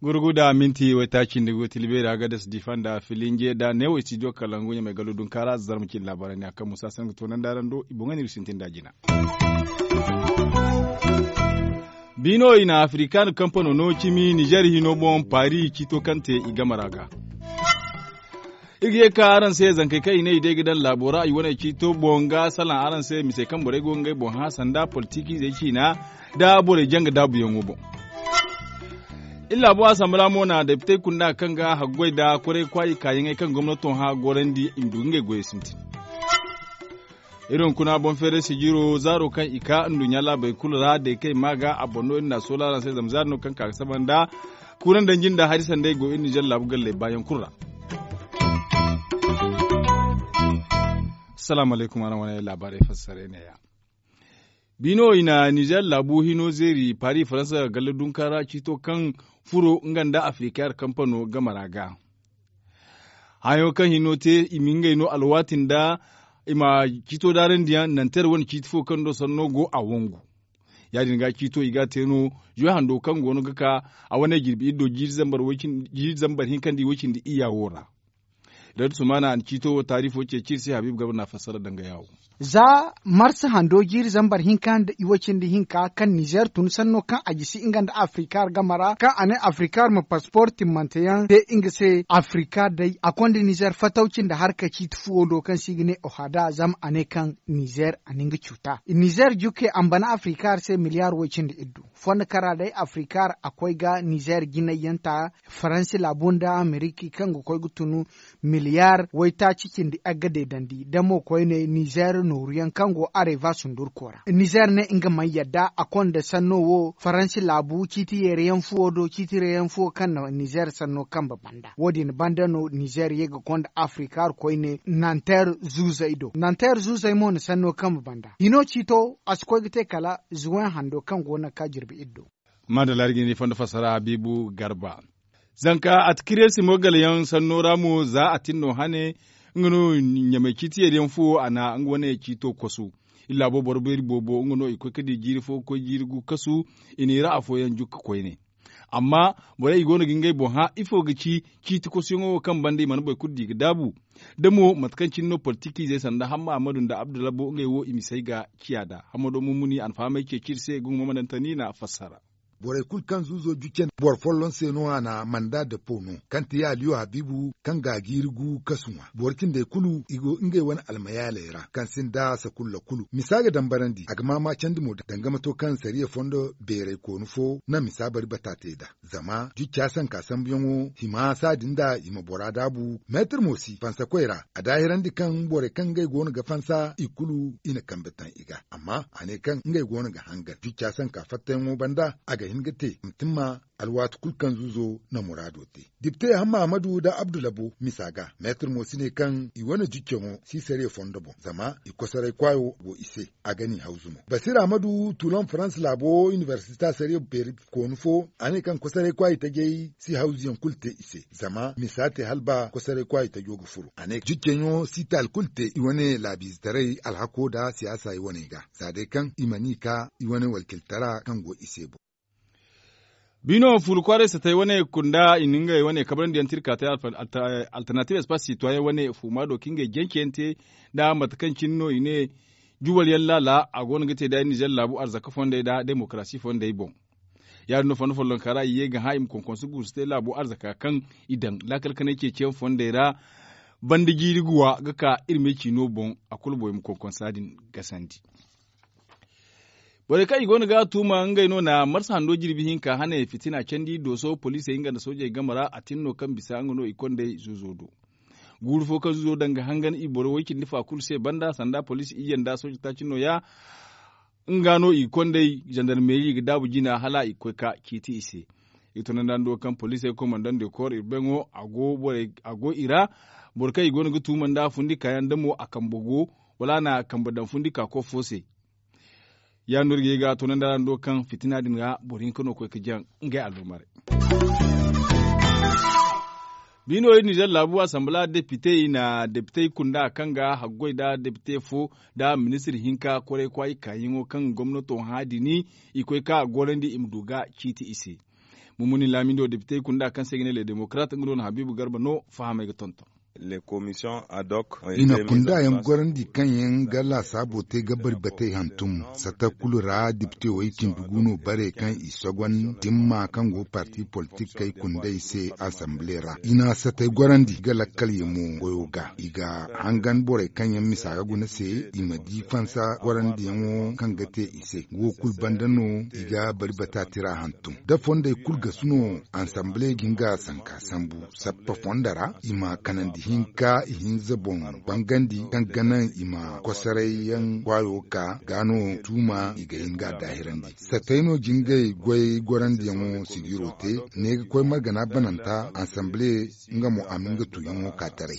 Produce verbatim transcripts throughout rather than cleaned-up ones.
Gurgu da minti waytaaci nda go tilbeeri a ga dasa difa nda filinje da neewo istidiyo kalangu ɲamay gallo dunkaara zarma cindi laabaarey ne a kaŋ musa sanni ga toonandi araŋ do i boŋ ga ne iri sintin da jina. Biino i na afirikaana kampano no cimi nizer hino boŋ paari ciito kaŋ te i game ra ga. Iri ga ye ka araŋ se zankey kaŋ i ne i day ga daŋ laabo ra i wane ciito boŋ ga salaŋ araŋ se misey kaŋ borey go ga ngey boŋ hã sanda politikiizey ciina nda borey janga daabuyaŋo boŋ. Iri laabo asanbala mo na depitey kunda kaŋ ga haggoy nda kwaray kwaayi kaayaŋey kaŋ gomnato hã gorandi i ma du ga ngey goyey sintin. Iri hunkuna boŋ feeray sijiro zaaro kaŋ i ka nduɲɲa laabey kulu ra day kaŋ i ma ga a boŋ no iri na a soola araŋ se zama zaari no kaŋ ka ga saba nda kuura nda jinda hari sanday go iri nizer laabu galley baayaŋ kulu ra. Salaamu alaykum araŋ wane laabaarey fassarey neeya. Biino i na nizer laabu hino zeeri paari faransa galle dunka ra ciito kaŋ furo nga nda afirika yar kampano game ra ga. Hayo kaŋ hino te i ma ngey no alwaati nda i ma ciito daarandiyaŋ nanter wane ciiti fo kaŋ do sanno go a wangu. Ya- din ga ciito i ga a te no zuwe hando kaŋ go no ga ka a wane jirbi iddo jiiri zambar hinka nda i woy cindi iyya wo ra. Radu sumana a na ciito wo taarifo ceeci iri se habiibu garba na a fassara danga yaawo. Za marsa hando jiiri zambar hinka nda i woy cindi hinka kaŋ nizer tun sanno kaŋ a jisi nga nda afirika ra game ra kaŋ a ne afirika ra ma paspor timmante yaŋ te nga se afirika day a konda nizer fatawci nda harka ciiti fuwo do kaŋ se i ga ne ohada zama a ne kaŋ nizer a na nga cuuta nizer jukke a ma bana afirika ra se miliyar woy cindi iddu. Fondo kara day afirika ra a koy ga nizer jinay yaŋ ta faransi laabu nda ameriki kaŋ ga koy ga tunu miliyar waytaaci cindi agga deedandi da mo koyne nizer nooru yaŋ kaŋ go areva sundurko ra nizer ne nga mana yadda a konda sanno wo faransi laabu ciiti yeere yaŋ fuwo do ciiti yeere yaŋ fuwo kaŋ na nizer sanno kambe banda wo- din banda no nizer ye ga konda afirika ra koyne nanter zuuzey do nanter zuuzey mo na sanno kambe banda hino ciito a si koy ga te kala zuwen hando kaŋ go no ga ka jirbi iddo. Maadalla iri ga ni fondo fassara habiibu garba. Zanka atikiriyasi mo galayaŋ sanno ra mo za a tin no hane nga no ɲamay ciiti yeeri yaŋ fuwo a na nga wane ciito kosu. Iri laabo boro beeri boobo nga no i koy ga di jiiri fo ga koy jiiri gu kasu i n'i ra afooyaŋ jukka koyne. Amma borey i go no ga ngey boŋ hã ifo ga ci ciiti kosuyaŋo wo kaŋ banda i mana boro kulu di ga daabu? Da mo mate kaŋ cine no politikiizey sanda hamma ahmadu nda abdulabo ngey wo i misey ga ciya nd'a hamado mummuni a na fahamay ceeci iri se ga nga mo ma daŋ tani na a fassara. Borey kulu kaŋ zuuzo jucce boro folloŋ se no a na manda depo no kaŋ ti aliyo habiibu kaŋ ga jiiri gu kasu ŋwa boro cindey kulu i go ngey wane almayaaley ra kaŋ sinda sakulla kulu misa ga dambarandi a ga maama candi mo danga mato kaŋ sariya fondo beeray koonu fo na misa bari bata te nd'a. Zama jucca sanka sambuyaŋo hima saadin nd'a i ma bora daabu meetir mo si fansakoy ra a daahirandi kaŋ borey kaŋ ngey go no ga fansa i kulu i na kambe taŋ i ga amma a ne kaŋ ngey go no ga hangan jucca sanka fattayaŋo banda a ga hin ga te ma timma alwaati kulu kaŋ zuuzo na muraado te. Dipte hamma ahmadu nda abdu labo misa ga meetir mo si ne kaŋ i wane juccaŋo si sariya fondo boŋ zama i kosoray kwaayo go i se. A ga n'i hawzu mo basir ahmadu tulon farans laabo inibersita sariya beeri koonu fo a ne kaŋ kosoray kwaayi tajey si hawzuyaŋ kulu te i se zama misa te hala ba kosoray kwaayi tajo ga furo a ne jujjaŋo si taali kulu te i wane laabiizetaray alhako nda siyaasa i wane ga za day kaŋ i mana i ka i wane walkiltara kaŋ go i se boŋ. Biino furu kwaaray satay wane kunda i na ngey wane kabrandi yaŋ tirka te alternative espace sitoyen wane fuma do ka ngey jance yaŋ te nda mate kaŋ cine no i ne juwal yaŋ laala a go no ga te da nizer laabu arzaka fondey nda demokarasi fondey boŋ. Ya- din no fondo follonka ra i ye ga hã i ma konkonsu guusu te laabu arzaka kaŋ i daŋ laakal kanay ceeciyaŋ fondey ra banda jiiri guwa ga ka iri me ciino boŋ a kulu boŋ i ma konkonsa din gasandi. Borey kaŋ i go no ga a tuuma ngey no na marsa hando jirbi hinka hane fitina candi dooso poliisey nga nda soojey game ra a tin no kaŋ bisa nga no i kondey zuuzo do. Guuru fo kaŋ zuuzo daŋ ga hangan i boro way cindi fa kulu se banda sanda poliisi iyye nda sooje taaci nooya. Nga no i kondey zandarmeeri ga daabu jina hala i ga koy ka ciiti i se. I tunandando kaŋ poliisey komandando koor i beŋo a go i ra. Boro kaŋ i go no ga tuuma nda fundi kaayaŋ da mo a kambe go wala a na kambe daŋ fundi kaako fo se. Ya- din no iri ga ye ga tunandi araŋ do kaŋ fitina din ra boro hinka no ga koy ga jaŋ ngey alluumaray. Biino iri nizer laabu asambala depite i na depite kunda kaŋ ga haggoy nda depite fo nda ministir hinka kwaray kwaayi kaayaŋo kaŋ gomnato hã dini i koy ka gorandi i ma du ga ciiti i se. Mumuni laamindo depite kunda kaŋ se i ga ne le demokrat nga no na habiibu garba no fahamay ga tonton. I na kunda yaŋ gorandi kaŋ yaŋ ga laasaabo te ga bari batey hantum sata kulu ra depite way cindi gu no bare kaŋ i sogon dimma kaŋ go parti politikey kundey se asamble ra. I na satey gorandi ga lakkal yaŋo goyo ga i ga hangan borey kaŋ yaŋ misa ga guna se i ma di fansa gorandiyaŋo kaŋ ga te i se wo kulu banda no i ga bari bata tira hantum da fondey kulu gasu no. Ansamble ga nga sanka sambu sappa fondo ra i ma kanandi hinka i hinza boŋ bangandi kaŋ ga naŋ i ma kosoray yaŋ kwaayo ka ga no tuuma i ga hin ga daahirandi. Satay no jingay goy gorandiyaŋo sigiro te ne ga koy margana bananta ansamble nga mo a ma nga tuuyaŋo ka taray.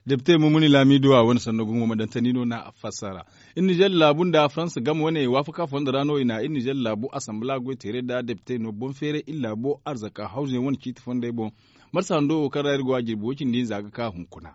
Depite mumuni laamido a wane sanno gumo ma dantani no na a fassara. Iri nizer laabu nda faransa game wane waafaka fondo ra no i na iri nizer laabu asambala goy teeray nda depite no boŋ feeray iri laabo arzaka hawzuyaŋ wane ciiti fondey boŋ. Marsa hando wo kaŋ ra iri go a jirbi wo cindi hinza ga ka hunkuna.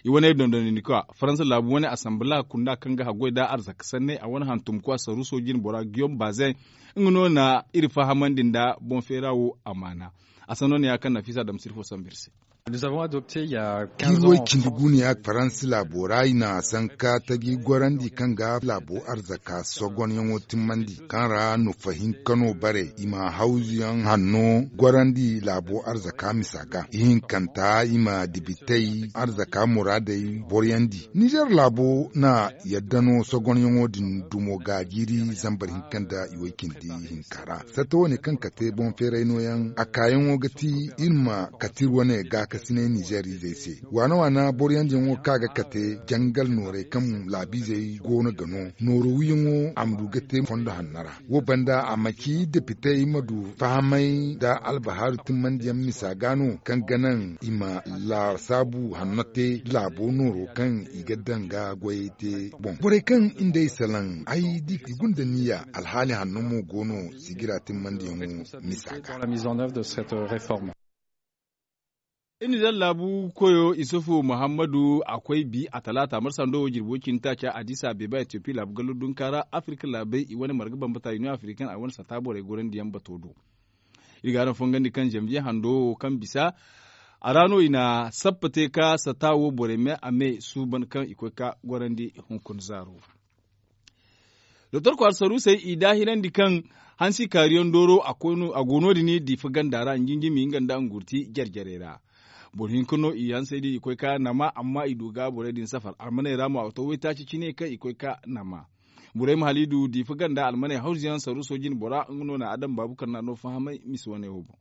I wane dondonandi kwa faransa laabu wane asambala kunda kaŋ ga haggoy nda arzaka sanney a wane hantum kwa saruuso jine bora giyom bazen. Nga no na iri fahamandi nda boŋ feera wo amaana. A sanno ne ya kaŋ nafiisa damsiri fo sambu iri se. Iri way cindi guuniya faransi laabo ra i na sanka taji gorandi kaŋ ga laabo arzaka sogonyaŋo timmandi kaŋ ra nufa hinka no bare i ma hawzuyaŋ hanno gorandi laabo arzaka misa ga ihinkanta i ma dibitey arzaka muraadey boryandi nizer laabo na yadda no sogonyaŋo din dumo ga jiiri zambar hinka nda i way cindi hinka ra. Satta wane kaŋ kate boŋ feeray nooyaŋ a kaayaŋo ga ti iri ma kate iri wane gaakasinay nizer izey se waana waana boroyandiyaŋo kaŋ a ga kate jangal nooray kaŋ laabiizey go no ga no nooro wiyaŋo a ma du ga te fondo hanno ra. Wo banda a ma ci depitey ma du fahamay nda albahaaru timmandiyaŋ misa ga no kaŋ ga naŋ i ma laasaabu hanno te laabo nooro kaŋ i ga daŋ ga goyey te boŋ borey kaŋ i nd'ey salaŋ ay di i gunda niya alhaali hanno mo go no sigira timmandiyaŋo misa ga. Iri na daŋ laabu koyo isufu muhammadu a koy bi a talaata marsa ndo wo jirbo cindi taaca addisa beeba etiyopi laabu gallo dunka ra afirka laabey i wane marga bambata union africaine a wane sata borey gorandiyaŋ bato do. Iri ga araŋ fongandi kaŋ zanviye hando wo kaŋ bisa a ra no i na sappa te ka sata wo borey me a me suuban kaŋ i koy ka gorandi hunkuna zaaro. Doktor kwaara saruusey i daahirandi kaŋ hansi kaariyaŋ dooro a go no- din diifa ganda ra njinjimi nga nda ngurti jare jarey ra. Boro hinka no i hansey din i koy ka nama amma i du ga borey din safar almaney ra mo a ga to waytaaci cine kaŋ i koy ka nama. Borey ma hala i du diifa ganda almaney hawzuyaŋ saruuso jine bora nga no na adam baabu kaŋ na no fahamay misa wane wo boŋ.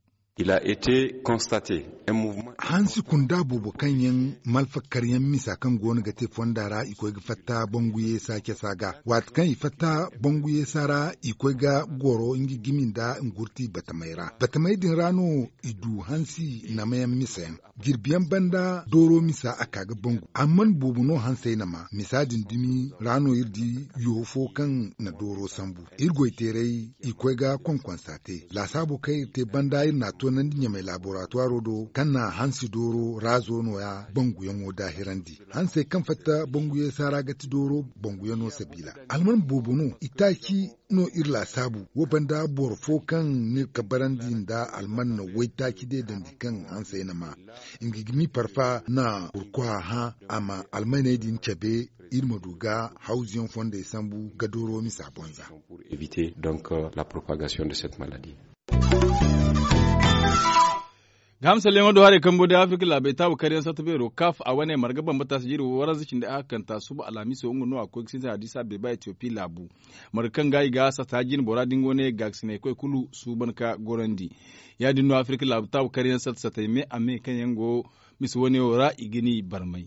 Hansi kunda boobo kaŋ yaŋ malfakaryaŋ misa kaŋ go no ga te fonda ra i koy ga fatta bangu yeesa casa ga waati kaŋ i fatta bangu yeesa ra i koy ga goro nga gimi nda ngurti batamey ra batamey din ra no i du hansi namayaŋ misa yaŋ. Jirbiyaŋ banda dooro misa a ka ga bangu amma boobo no hansey nama misa din dumi ra no iri di yo fo kaŋ na dooro sambu iri goyteeray i koy ga konkonsa te laasaabo kaŋ iri te banda iri n'a toonandi ɲamey laaboraatuwaaro do kaŋ na hansi dooro raazo nooya banguyaŋo daahirandi. Hansey kaŋ fatta banguyaŋ saara ga ti dooro banguyaŋo sabiila alman boobo no itaaci no iri laasaabu wo banda boro fo kaŋ ni ga barandi nda alman na waytaaci deedandi kaŋ hansey na ma nga ga mi parfa na burkwa hã a ma almaney din cabe iri ma du ga hawzuyaŋ fondey sambu ga dooro misa bonza. Ga hamsalyaŋo do haray kambo day afirka laabey taabu karyaŋ satta beero kaaf a wane marga bambata si jiiri waranza cindi a hakkanta suba alhamiso nga no a koy ga sintin addisa beeba etiyopi laabu. Marga kaŋ ga i ga satta jine bora da nga wane gaakasinay koy kulu suuban ka gorandi. Ya- din no afirka laabu taabu karyaŋ satta sattay me a me kaŋ yaŋ go misa wane wo ra i ga ni barmay.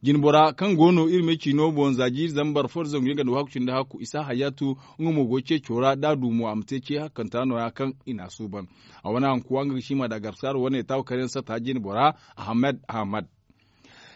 Jinbora kaŋ go no iri me ciino boŋ za jiiri zambar fo da zangu yaŋ ganda wo hakku cindi hakku isa hayatu. Nga mo go ceeco ra da a du mo a ma te ce hakkanta nooya kaŋ i n'a suuban. A wane hankuwa nga ga sima da garsaaro wane taabu karyaŋ sata jinbora ahmed ahmed.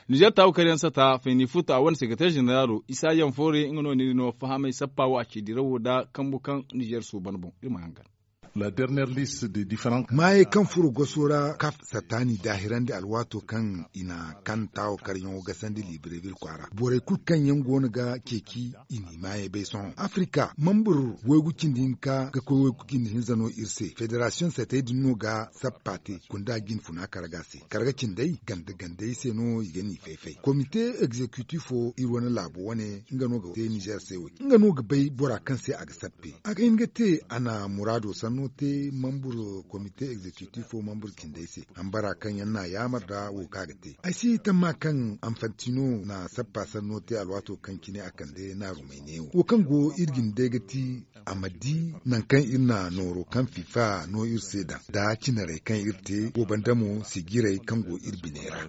Nizer taabu karyaŋ sata fayni futa a wane sekreter zeneraalo isa yaŋ foore nga no ni di no fahamay sappa wo a ci dirawo da kambu kaŋ nizer suuban boŋ iri ma hangan. Maayey kaŋ furo goso ra kaf sattaani daahirandi alwaato kaŋ i na kan taawo karyaŋo gasandi librevil kwaara borey kulu kaŋ yaŋ go no ga ceeci i n'i maayey bay sohõ afirika mambur waygu cindi hinka ga koy waygu cindi hinza no iri se federasiyoŋ satey din no ga sappa te kunda jinfuna karga se karga cindey ganda gandey se no i ga n'i fay-fay komite egzekitifo iri wane laabo wane nga no ga te nizer se wo-din nga no ga bay bora kaŋ se a ga sappe a ga hin ga te a na muraado sanno te mambur komite egzekitifo mambur cindey se hambara kaŋ yaŋ n'a yaamar nda wo kaŋ a ga te ay si tamma kaŋ anfantino na sappa sanno te alwaato kaŋ cine a kande naarumey neewo wo kaŋ go iri jine day ga ti a ma di nangu kaŋ iri na nooro kaŋ fifa no iri se daŋ nda cinarey kaŋ iri te wo banda mo sijirey kaŋ go iri biney ra.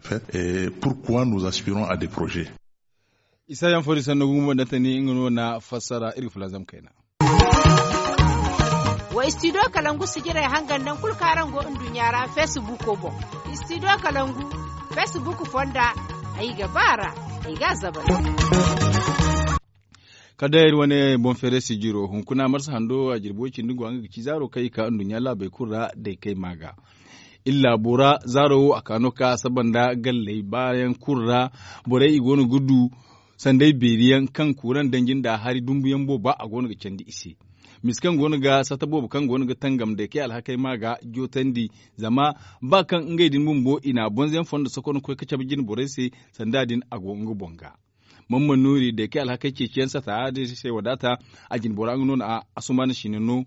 Pourquoi nous aspirons à des projets? Isa yaŋ fo din sanno gumo dantani nga no na fassara iri ga fulanzam kayna. Wa istido kalangu sijirey hangan daŋ kulu kaŋ araŋ go nduɲɲa ra feesibuko boŋ. Istido kalangu feesibuku fonda ay ga ba ra ay ga a zabari. Kala day iri wane boŋ feeray sijiro hunkuna marsa hando a jirbi way cindi go a nga ga ci zaaro kaŋ i ka nduɲɲa laabey kulu ra day kay ma ga iri laabo ra zaaro wo a ka no ka saba nda galley baayaŋ kulu ra borey i go no ga du sanday beeri yaŋ kaŋ kuuraŋ danji nda hari dumbu yaŋ booba a go no ga candi i se. Misa kaŋ go no ga sata boobo kaŋ go no ga tangam day kay alhakey ma ga jootandi zama ba kaŋ ngey din bumbo i na bonze yaŋ fondo sokon ga koy ga cabe jine borey se sanda din a go nga boŋ ga. Mamman nuuri day kay alhakey ceeciyaŋ sata din se wadaata a jine bora nga no na asumaana siina no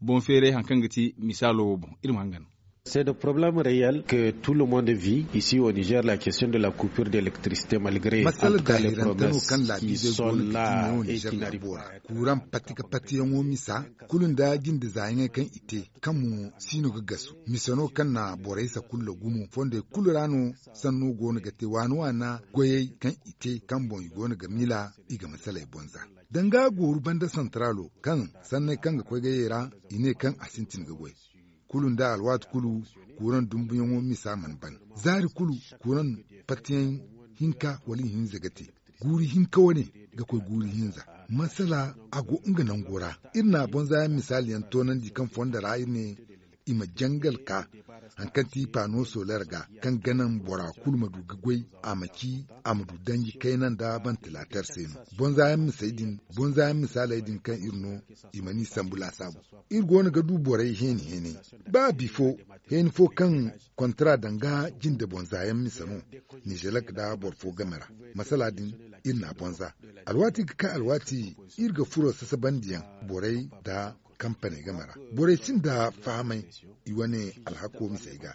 boŋ feeray hari kaŋ ga ti misaalo wo boŋ iri ma hangan. C'est des problèmes réels que tout le monde vit ici au niger la question de la coupure d'électricité malgré en tout cas les promesses qui sont là et qui n'arrivent pas. Kuuraŋ pati ga patiyaŋo misa kulu nda jinde zaayaŋey kaŋ i te kaŋ mo si no ga gasu mise no kaŋ na borey sakulla gumo fondey kulu ra no sanno go no ga te waana waana goyey kaŋ i te kaŋ boŋ i go no ga mila i ga masaley bonza danga gooru banda santaraalo kaŋ sanney kaŋ ga koy gayey ra i ne kaŋ a sintin ga goy kulu nda alwaati kulu kuuraŋ dumbuyaŋo misa mana ban zaari kulu kuuraŋ patiyaŋ hinka wala ihinza ga te guuri hinka wane ga koy guuri hinza masala a go nga nango ra iri na bonza yaŋ misaali yaŋ toonandi kaŋ fonda ra iri ne i ma jangal ka hari kaŋ ti paano solar ga kaŋ ga naŋ bora kulu ma du ga goy a ma ci a ma du danji kayna nda bantilater se no bonza yaŋ misey din bonza yaŋ misaaley din kaŋ iri no i mana i sambu laasaabu iri go no ga du borey heeni heenay ba bifo heeni fo kaŋ kontara danga jinde bonza yaŋ mise no nizelek nda boro fo game ra masala din iri na bonza alwaati ga ka alwaati iri ga furo sasabandiyaŋ borey nda kampaney game ra borey sinda fahamay i wane alhako misey ga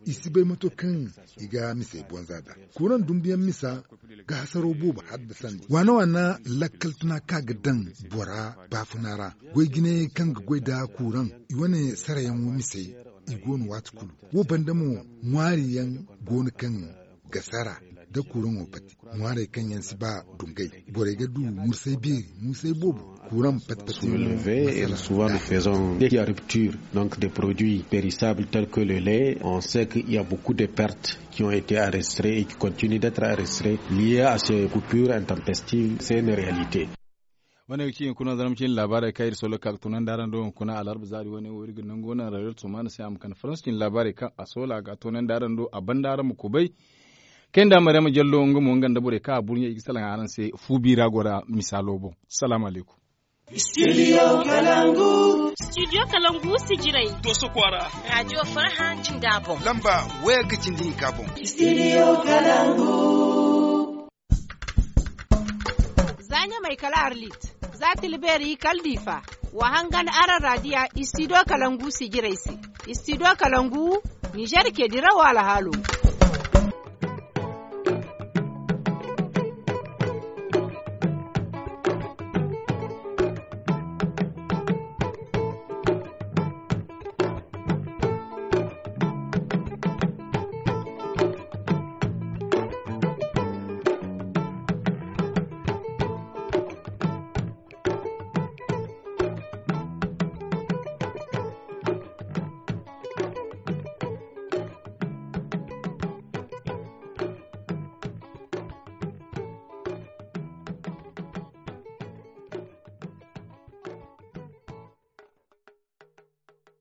i si bay mato kaŋ i ga misey bonza da kuuraŋ dumbuyaŋ misa ga hasaro boobo haddasandi waana waana lakkal tuna kaŋ a ga daŋ bora baafuna ra goy jinayey kaŋ ga goy nda kuuraŋ i wane sarayaŋo misey i go no waati kulu wo banda mo ŋwaari yaŋ go no kaŋ ga sara nda kuuraŋo pati ŋwaarey kaŋ yaŋ si ba dungay borey ga du mursay beeri mursay boobo kuuraŋ pati pati. Souvent nous faisons des ruptures donc des produits périssables tels que le lait on sait qu'il y a beaucoup de pertes qui ont été enregistrées et qui continuent d'être enregistrées liées à ces coupures intempestives c'est une réalité. Wane ga ci hunkuna zarma cin labaarey kaŋ iri solo ka ga toonandi araŋ do hunkuna alarba zaari wane wo iri ga nangu wane rayuwar tumana se a ma kande faransa cin labaarey kaŋ a solo a ga a toonandi araŋ do a banda araŋ ma kubay. Kay nda maryama jallo nga mo nga nda borey kaŋ a burɲey i ga salaŋ araŋ se fu biira gora misaalo boŋ. Salaamu alaykum. Studio kalangu. Studio kalangu sijiray doso kwaara. Raajiyo farhã jinda boŋ lamba wayagga cindi hinka boŋ. Studio kalangu. Za ɲamay kala arlit za tilbeeri kala diifa. Wa hangan araŋ raadiya istido kalangu sijirey se. Istido kalangu nizer ke dirawo alhaalo.